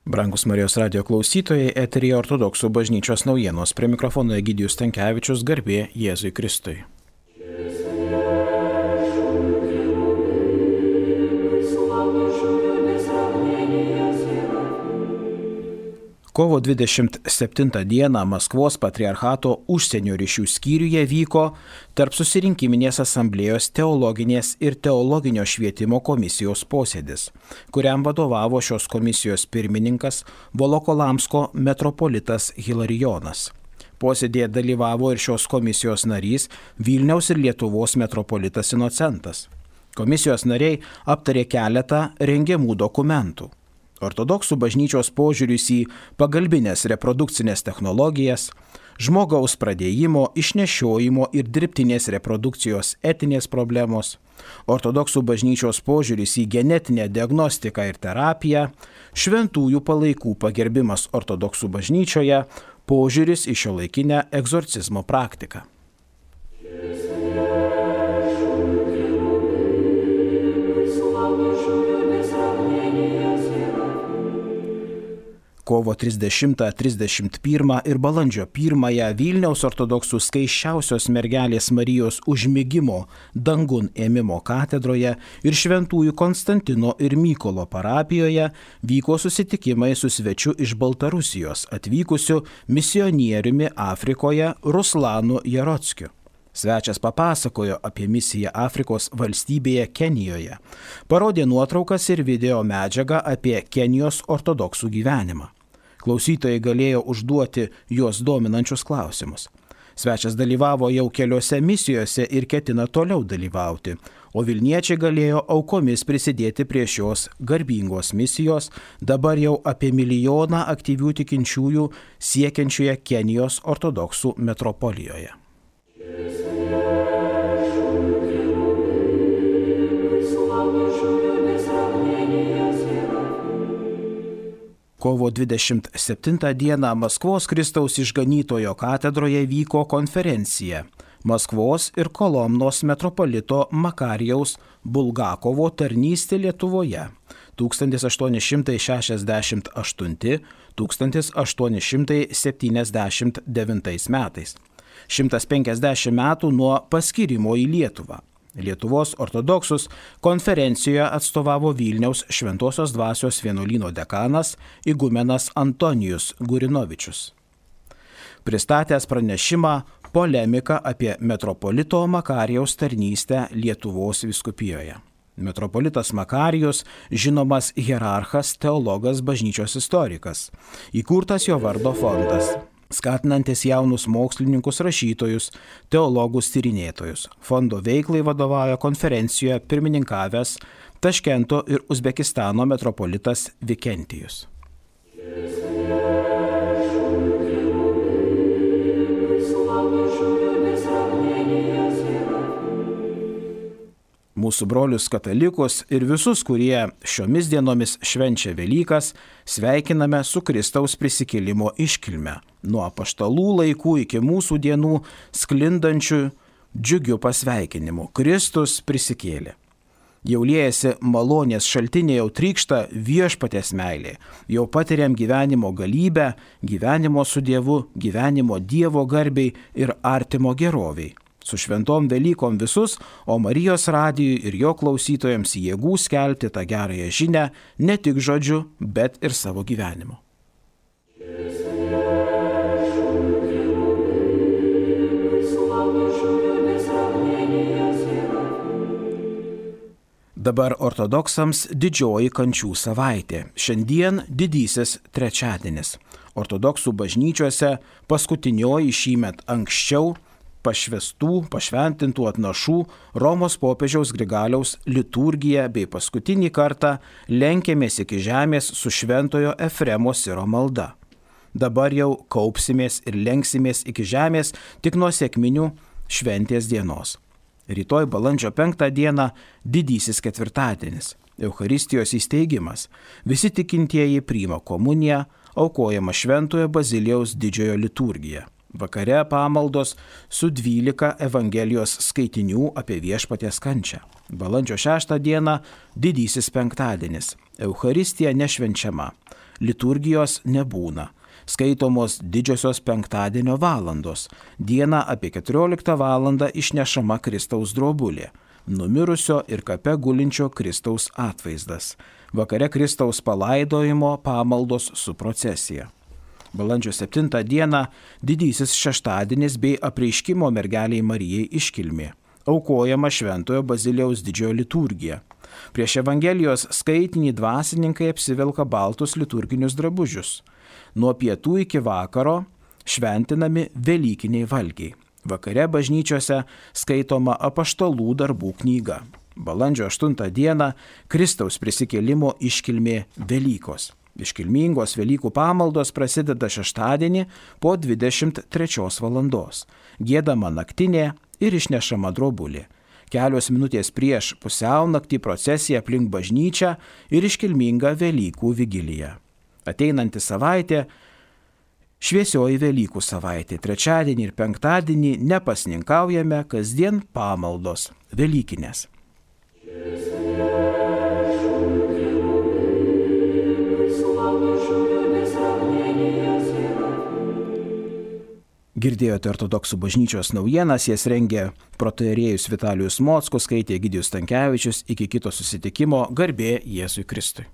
Brangus Marijos radijo klausytojai, eteryje Ortodoksų bažnyčios naujienos. Prie mikrofono Egidijus Stankevičius, garbė Jėzui Kristui. Kovo 27 dieną Maskvos patriarchato užsienio ryšių skyriuje vyko tarp susirinkiminės asamblėjos teologinės ir teologinio švietimo komisijos posėdis, kuriam vadovavo šios komisijos pirmininkas Volokolamsko metropolitas Hilarijonas. Posėdėje dalyvavo ir šios komisijos narys Vilniaus ir Lietuvos metropolitas Inocentas. Komisijos nariai aptarė keletą rengiamų dokumentų. Ortodoksų bažnyčios požiūris į pagalbinės reprodukcinės technologijas, žmogaus pradėjimo, išnešiojimo ir dirbtinės reprodukcijos etinės problemos, ortodoksų bažnyčios požiūris į genetinę diagnostiką ir terapiją, šventųjų palaikų pagerbimas ortodoksų bažnyčioje, požiūris į šiuolaikinę egzorcizmo praktiką. Kovo 30-31 ir balandžio 1 Vilniaus ortodoksų skaisčiausios mergelės Marijos užmigimo dangun ėmimo katedroje ir šventųjų Konstantino ir Mykolo parapijoje vyko susitikimai su svečiu iš Baltarusijos atvykusiu misionieriumi Afrikoje Ruslanu Jarockiu. Svečias papasakojo apie misiją Afrikos valstybėje Kenijoje, parodė nuotraukas ir video medžiagą apie Kenijos ortodoksų gyvenimą. Klausytojai galėjo užduoti juos dominančius klausimus. Svečias dalyvavo jau keliose misijose ir ketina toliau dalyvauti, o Vilniečiai galėjo aukomis prisidėti prie šios garbingos misijos, dabar jau apie 1 milijoną aktyvių tikinčiųjų siekiančioje Kenijos ortodoksų metropolijoje. Kovo 27 dieną Maskvos Kristaus išganytojo katedroje vyko konferencija Maskvos ir Kolomnos metropolito Makarijaus Bulgakovo tarnystė Lietuvoje 1868-1879 metais. 150 metų nuo paskyrimo į Lietuvą. Lietuvos ortodoksus konferencijoje atstovavo Vilniaus Šventosios dvasios vienuolyno dekanas igumenas Antonijus Gurinovičius. Pristatęs pranešimą polemiką apie metropolito Makarijaus tarnystę Lietuvos vyskupijoje. Metropolitas Makarijus žinomas hierarchas, teologas, bažnyčios istorikas. Įkurtas jo vardo fondas, skatinantis jaunus mokslininkus, rašytojus, teologus, tyrinėtojus. Fondo veiklai vadovauja konferencijoje pirmininkavęs Taškento ir Uzbekistano metropolitas Vikentijus. Mūsų brolius katalikus ir visus, kurie šiomis dienomis švenčia Velykas, sveikiname su Kristaus prisikėlimo iškilme. Nuo apaštalų laikų iki mūsų dienų sklindančių džiugių pasveikinimų. Kristus prisikėlė. Jau liejasi malonės šaltiniai, jau trykšta viešpaties meilė. Jau patiriam gyvenimo galybę, gyvenimo su Dievu, gyvenimo Dievo garbei ir artimo geroviai. Su šventom Velykom visus, o Marijos radijui ir jo klausytojams jėgų skelbti tą gerąją žinią ne tik žodžiu, bet ir savo gyvenimu. Dabar ortodoksams didžioji kančių savaitė. Šiandien didysis trečiadienis. Ortodoksų bažnyčiose paskutinioji šįmet anksčiau pašventintų atnašų Romos popiežiaus Grigaliaus liturgija bei paskutinį kartą lenkėmės iki žemės su šventojo Efremo Siro malda. Dabar jau kaupsimės ir lenksimės iki žemės tik nuo sekminių šventės dienos. Rytoj balandžio 5 dieną didysis ketvirtadienis, Eucharistijos įsteigimas. Visi tikintieji priima komuniją, aukojama šventojo Bazilijaus didžiojo liturgija. Vakare pamaldos su 12 Evangelijos skaitinių apie viešpaties kančią. Balandžio 6 dieną didysis penktadienis. Eucharistija nešvenčiama. Liturgijos nebūna. Skaitomos didžiosios penktadienio valandos. Dieną apie 14 valandą išnešama Kristaus drobulė. Numirusio ir kape gulinčio Kristaus atvaizdas. Vakare Kristaus palaidojimo pamaldos su procesija. Balandžio 7 dieną didysis šeštadienis bei apreiškimo mergeliai Marijai iškilmė. Aukojama Šventojo Bazilijaus didžiojo liturgija. Prieš Evangelijos skaitinį dvasininkai apsivelka baltus liturginius drabužius. Nuo pietų iki vakaro šventinami velykiniai valgiai. Vakare bažnyčiose skaitoma apaštalų darbų knyga. Balandžio 8 dieną Kristaus prisikėlimo iškilmė Velykos. Iškilmingos Velykų pamaldos prasideda šeštadienį po 23 valandos. Giedama naktinė ir išnešama drobulė. Kelios minutės prieš pusiaunaktį procesija aplink bažnyčią ir iškilminga Velykų vigilija. Ateinanti savaitė šviesioji Velykų savaitė. Trečiadienį ir penktadienį nepasninkaujame, kasdien pamaldos velykinės. Girdėjote ortodoksų bažnyčios naujienas, jas rengė protoierėjus Vitalijus Mockus, skaitė Egidijus Stankevičius. Iki kito susitikimo, garbė Jėzui Kristui.